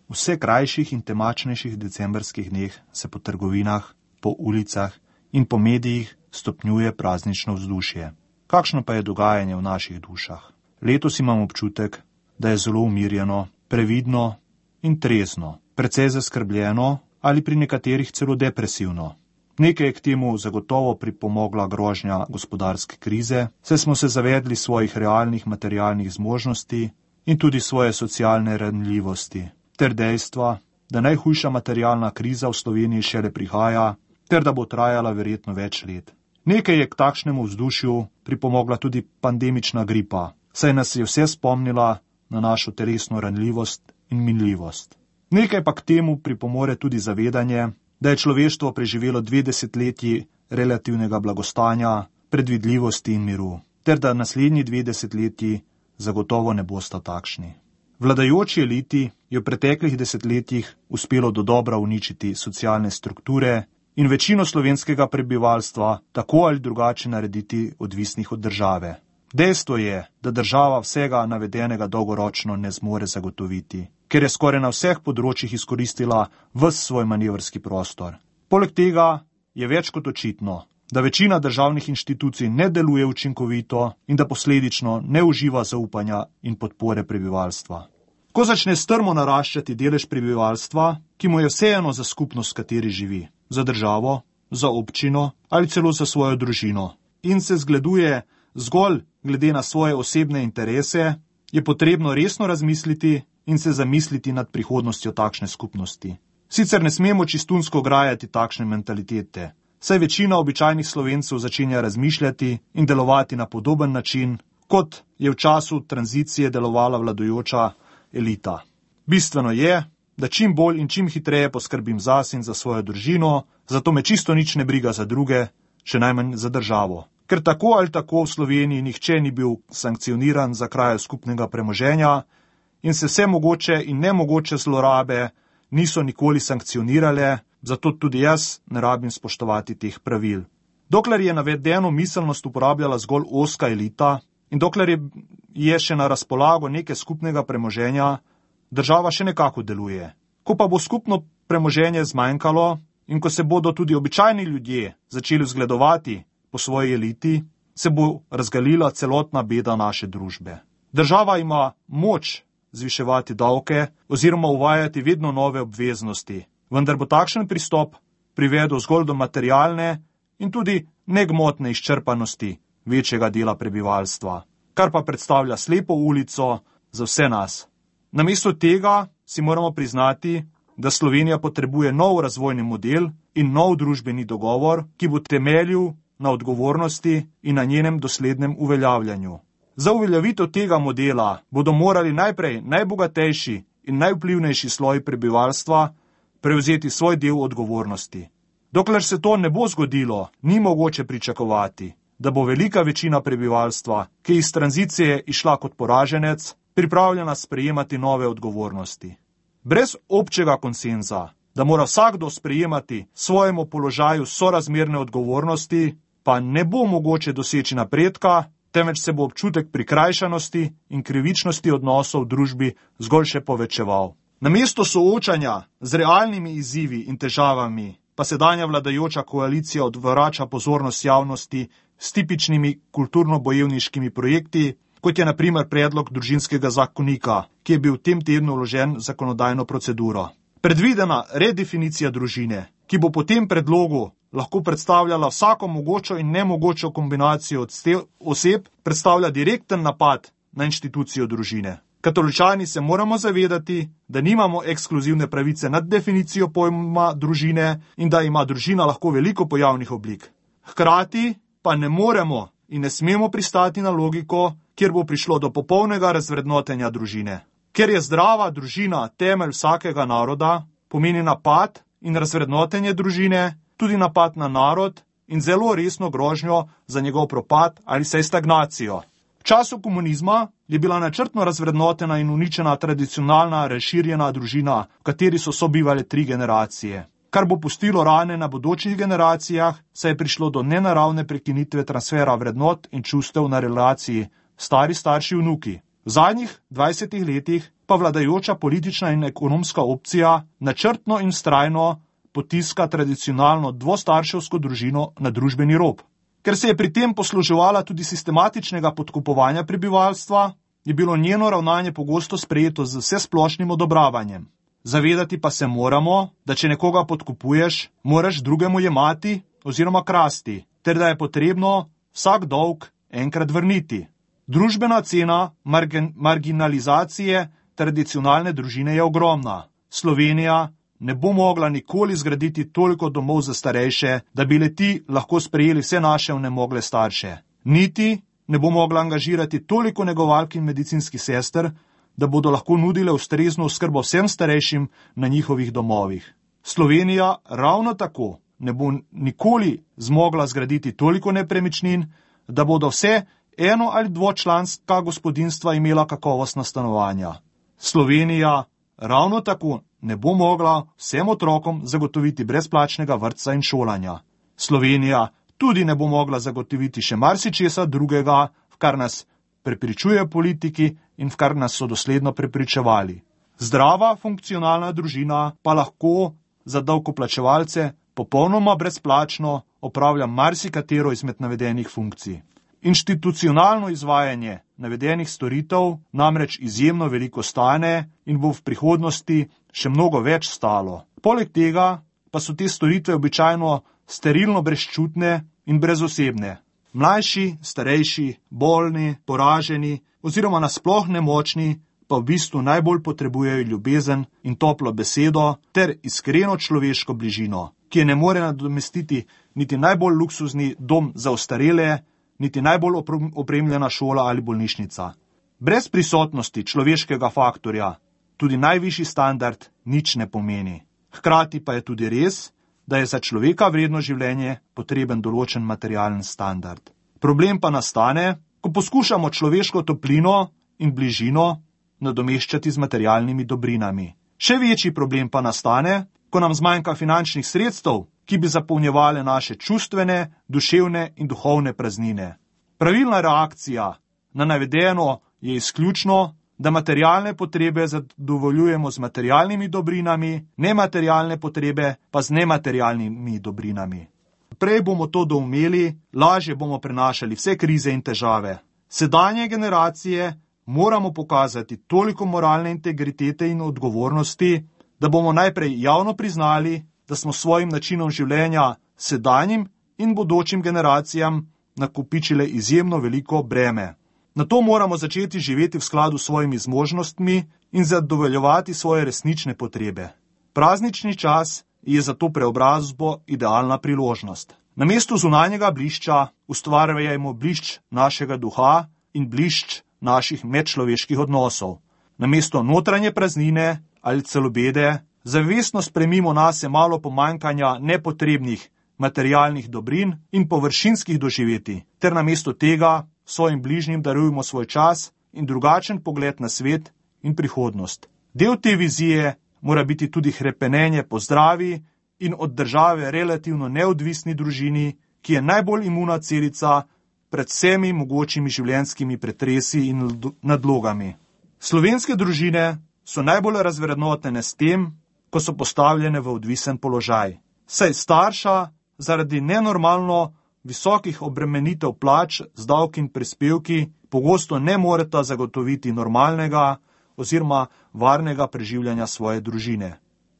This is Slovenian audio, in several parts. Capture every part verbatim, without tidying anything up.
vse krajših in temačnejših decembrskih dneh se po trgovinah, po ulicah in po medijih stopnjuje praznično vzdušje. Kakšno pa je dogajanje v naših dušah? Letos imam občutek, da je zelo umirjeno, previdno in trezno, precej zaskrbljeno ali pri nekaterih celo depresivno. Nekaj je k temu zagotovo pripomogla grožnja gospodarske krize, saj smo se zavedli svojih realnih materialnih zmožnosti in tudi svoje socialne ranljivosti, ter dejstva, da najhujša materialna kriza v Sloveniji šele prihaja, ter da bo trajala verjetno več let. Nekaj je k takšnemu vzdušju pripomogla tudi pandemična gripa, saj nas je vse spomnila na našo telesno ranljivost in minljivost. Nekaj pa k temu pripomore tudi zavedanje, da je človeštvo preživelo dve desetletji relativnega blagostanja, predvidljivosti in miru, ter da naslednji dve desetletji zagotovo ne bosta takšni. Vladajoči eliti je v preteklih desetletjih uspelo dodobra uničiti socialne strukture in večino slovenskega prebivalstva tako ali drugače narediti odvisnih od države. Dejstvo je, da država vsega navedenega dolgoročno ne zmore zagotoviti, ker je skoraj na vseh področjih izkoristila ves svoj manevrski prostor. Poleg tega je več kot očitno, da večina državnih inštitucij ne deluje učinkovito in da posledično ne uživa zaupanja in podpore prebivalstva. Ko začne strmo naraščati delež prebivalstva, ki mu je vseeno za skupnost, v kateri živi, za državo, za občino ali celo za svojo družino, in se zgleduje zgolj glede na svoje osebne interese, je potrebno resno razmisliti in se zamisliti nad prihodnostjo takšne skupnosti. Sicer ne smemo čistunsko grajati takšne mentalitete, saj večina običajnih Slovencev začenja razmišljati in delovati na podoben način, kot je v času tranzicije delovala vladajoča elita. Bistveno je, da čim bolj in čim hitreje poskrbim zase in za svojo družino, zato me čisto nič ne briga za druge, še najmanj za državo. Ker tako ali tako v Sloveniji nihče ni bil sankcioniran za krajo skupnega premoženja in se vse mogoče in nemogoče zlorabe niso nikoli sankcionirale, zato tudi jaz ne rabim spoštovati teh pravil. Dokler je navedeno miselnost uporabljala zgolj ozka elita in dokler je, je še na razpolago nekaj skupnega premoženja, država še nekako deluje. Ko pa bo skupno premoženje zmanjkalo in ko se bodo tudi običajni ljudje začeli zgledovati po svoji eliti, se bo razgalila celotna beda naše družbe. Država ima moč zviševati davke oziroma uvajati vedno nove obveznosti, vendar bo takšen pristop privedel zgolj do materialne in tudi negmotne izčrpanosti večjega dela prebivalstva, kar pa predstavlja slepo ulico za vse nas. Namesto tega si moramo priznati, da Slovenija potrebuje nov razvojni model in nov družbeni dogovor, ki bo temeljil na odgovornosti in na njenem doslednem uveljavljanju. Za uveljavitev tega modela bodo morali najprej najbogatejši in najvplivnejši sloj prebivalstva prevzeti svoj del odgovornosti. Dokler se to ne bo zgodilo, ni mogoče pričakovati, da bo velika večina prebivalstva, ki je iz tranzicije išla kot poraženec, pripravljena sprejemati nove odgovornosti. Brez občega konsenza, da mora vsakdo sprejemati svojemu položaju sorazmerne odgovornosti, pa ne bo mogoče doseči napredka, temveč se bo občutek prikrajšanosti in krivičnosti odnosov v družbi zgolj še povečeval. Namesto soočanja z realnimi izzivi in težavami, pa sedanja vladajoča koalicija odvrača pozornost javnosti s tipičnimi kulturno-bojevniškimi projekti, kot je na primer predlog družinskega zakonika, ki je bil v tem tednu vložen v zakonodajno proceduro. Predvidena redefinicija družine, ki bo po tem predlogu lahko predstavljala vsako mogočo in nemogočo kombinacijo oseb, predstavlja direkten napad na inštitucijo družine. Katoličani se moramo zavedati, da nimamo ekskluzivne pravice nad definicijo pojma družine in da ima družina lahko veliko pojavnih oblik. Hkrati pa ne moremo in ne smemo pristati na logiko, kjer bo prišlo do popolnega razvrednotenja družine. Ker je zdrava družina temelj vsakega naroda, pomeni napad in razvrednotenje družine tudi napad na narod in zelo resno grožnjo za njegov propad ali saj stagnacijo. V času komunizma je bila načrtno razvrednotena in uničena tradicionalna razširjena družina, v kateri so sobivale tri generacije, kar bo pustilo rane na bodočih generacijah, saj je prišlo do nenaravne prekinitve transfera vrednot in čustev na relaciji stari starši vnuki. V zadnjih dvajsetih letih pa vladajoča politična in ekonomska opcija načrtno in vztrajno potiska tradicionalno dvostarševsko družino na družbeni rob. Ker se je pri tem posluževala tudi sistematičnega podkupovanja prebivalstva, je bilo njeno ravnanje pogosto sprejeto z vsesplošnim odobravanjem. Zavedati pa se moramo, da če nekoga podkupuješ, moraš drugemu jemati oziroma krasti, ter da je potrebno vsak dolg enkrat vrniti. Družbena cena margin- marginalizacije tradicionalne družine je ogromna. Slovenija ne bo mogla nikoli zgraditi toliko domov za starejše, da bi le-ti lahko sprejeli vse naše onemogle starše. Niti ne bo mogla angažirati toliko negovalk in medicinskih sester, da bodo lahko nudile ustrezno oskrbo vsem starejšim na njihovih domovih. Slovenija ravno tako ne bo nikoli zmogla zgraditi toliko nepremičnin, da bodo vse eno- ali dvočlanska gospodinjstva imela kakovostna stanovanja. Slovenija ravno tako ne bo mogla vsem otrokom zagotoviti brezplačnega vrtca in šolanja. Slovenija tudi ne bo mogla zagotoviti še marsičesa drugega, v kar nas prepričuje politiki in v kar nas so dosledno prepričevali. Zdrava, funkcionalna družina pa lahko za davkoplačevalce popolnoma brezplačno opravlja marsikatero izmed navedenih funkcij. Institucionalno izvajanje navedenih storitev namreč izjemno veliko stane in bo v prihodnosti še mnogo več stalo. Poleg tega pa so te storitve običajno sterilno brezčutne in brezosebne. Mlajši, starejši, bolni, poraženi oziroma nasploh nemočni pa v bistvu najbolj potrebujejo ljubezen in toplo besedo ter iskreno človeško bližino, ki je ne more nadomestiti niti najbolj luksuzni dom za ostarele, niti najbolj opremljena šola ali bolnišnica. Brez prisotnosti človeškega faktorja tudi najvišji standard nič ne pomeni. Hkrati pa je tudi res, da je za človeka vredno življenje potreben določen materialen standard. Problem pa nastane, ko poskušamo človeško toplino in bližino nadomeščati z materialnimi dobrinami. Še večji problem pa nastane, ko nam zmanjka finančnih sredstev, ki bi zapolnjevale naše čustvene, duševne in duhovne praznine. Pravilna reakcija na navedeno je izključno, da materialne potrebe zadovoljujemo z materialnimi dobrinami, nematerialne potrebe pa z nematerialnimi dobrinami. Prej bomo to doumeli, lažje bomo prenašali vse krize in težave. Sedanje generacije moramo pokazati toliko moralne integritete in odgovornosti, da bomo najprej javno priznali, da smo s svojim načinom življenja sedanjim in bodočim generacijam nakopičile izjemno veliko breme. Nato moramo začeti živeti v skladu s svojimi zmožnostmi in zadovoljevati svoje resnične potrebe. Praznični čas je za to preobrazbo idealna priložnost. Namesto zunanjega blišča ustvarjajmo blišč našega duha in blišč naših medčloveških odnosov. Namesto notranje praznine ali celo bede, zavestno spremimo nase malo pomanjkanja nepotrebnih materialnih dobrin in površinskih doživetij, ter namesto tega svojim bližnjim darujemo svoj čas in drugačen pogled na svet in prihodnost. Del te vizije mora biti tudi hrepenenje po zdravi in od države relativno neodvisni družini, ki je najbolj imuna celica pred vsemi mogočimi življenjskimi pretresi in nadlogami. Slovenske družine so najbolj razvrednotene s tem, ko so postavljene v odvisen položaj. Saj starša zaradi nenormalno visokih obremenitev plač z davki in prispevki pogosto ne moreta zagotoviti normalnega oziroma varnega preživljanja svoje družine.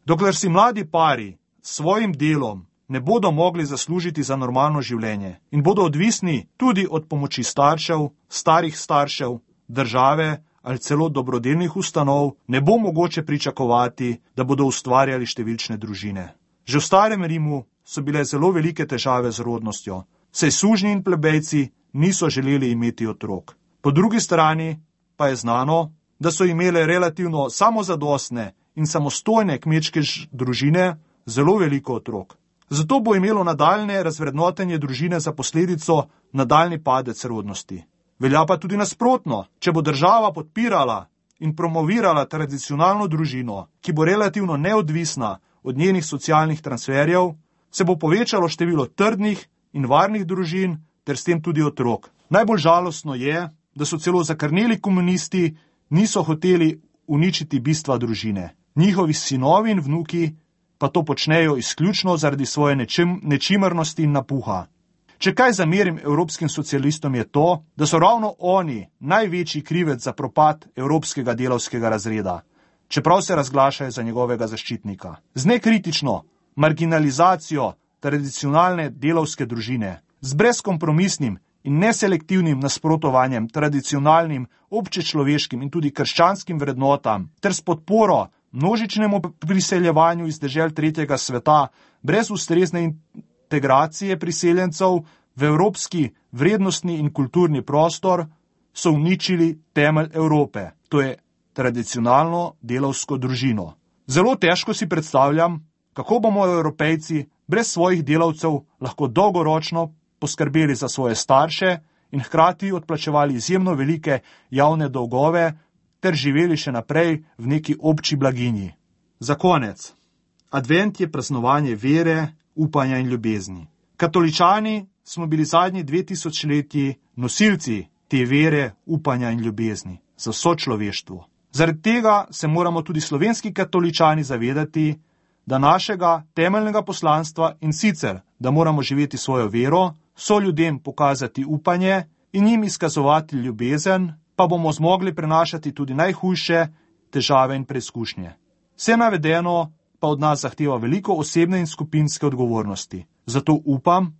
Dokler si mladi pari s svojim delom ne bodo mogli zaslužiti za normalno življenje in bodo odvisni tudi od pomoči staršev, starih staršev, države ali celo dobrodelnih ustanov, ne bo mogoče pričakovati, da bodo ustvarjali številčne družine. Že v starem Rimu so bile zelo velike težave z rodnostjo, saj sužnji in plebejci niso želeli imeti otrok. Po drugi strani pa je znano, da so imele relativno samozadostne in samostojne kmečke družine zelo veliko otrok. Zato bo imelo nadaljne razvrednotenje družine za posledico nadaljni padec rodnosti. Velja pa tudi nasprotno, če bo država podpirala in promovirala tradicionalno družino, ki bo relativno neodvisna od njenih socialnih transferjev, se bo povečalo število trdnih in varnih družin ter s tem tudi otrok. Najbolj žalostno je, da so celo zakrneli komunisti niso hoteli uničiti bistva družine. Njihovi sinovi in vnuki pa to počnejo izključno zaradi svoje nečim, nečimrnosti in napuha. Če kaj zamerim evropskim socialistom je to, da so ravno oni največji krivec za propad evropskega delavskega razreda, čeprav se razglašajo za njegovega zaščitnika. Z nekritično marginalizacijo tradicionalne delavske družine, z brezkompromisnim in neselektivnim nasprotovanjem tradicionalnim, občečloveškim in tudi krščanskim vrednotam ter s podporo množičnemu priseljevanju iz dežel tretjega sveta brez ustrezne integracije priseljencev v evropski vrednostni in kulturni prostor so uničili temelj Evrope, to je tradicionalno delavsko družino. Zelo težko si predstavljam, kako bomo Evropejci brez svojih delavcev lahko dolgoročno poskrbeli za svoje starše in hkrati odplačevali izjemno velike javne dolgove ter živeli še naprej v neki obči blaginji. Za konec. Advent je praznovanje vere, upanja in ljubezni. Katoličani smo bili zadnji dve tisočletji nosilci te vere, upanja in ljubezni za vso človeštvo. Zaradi tega se moramo tudi slovenski katoličani zavedati, da našega temeljnega poslanstva in sicer, da moramo živeti svojo vero, so ljudem pokazati upanje in jim izkazovati ljubezen, pa bomo zmogli prenašati tudi najhujše težave in preizkušnje. Vse navedeno pa od nas zahteva veliko osebne in skupinske odgovornosti. Zato upam,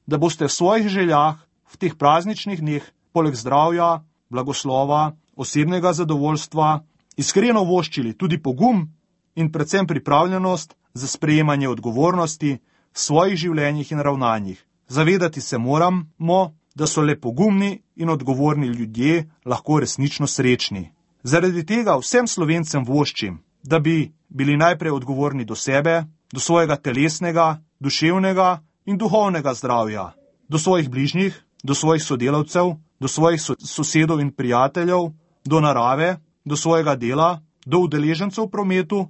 da boste v svojih željah v teh prazničnih dneh poleg zdravja, blagoslova, osebnega zadovoljstva iskreno voščili tudi pogum in predvsem pripravljenost za sprejemanje odgovornosti v svojih življenjih in ravnanjih. Zavedati se moramo, da so le pogumni in odgovorni ljudje lahko resnično srečni. Zaradi tega vsem Slovencem voščim, da bi bili najprej odgovorni do sebe, do svojega telesnega, duševnega in duhovnega zdravja, do svojih bližnjih, do svojih sodelavcev, do svojih so- sosedov in prijateljev, do narave, do svojega dela, do udeležencev v prometu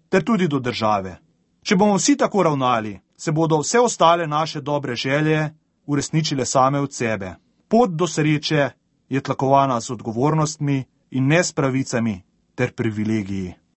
ter tudi do države. Če bomo vsi tako ravnali, se bodo vse ostale naše dobre želje uresničile same od sebe. Pot do sreče je tlakovana z odgovornostmi in ne s pravicami ter privilegiji.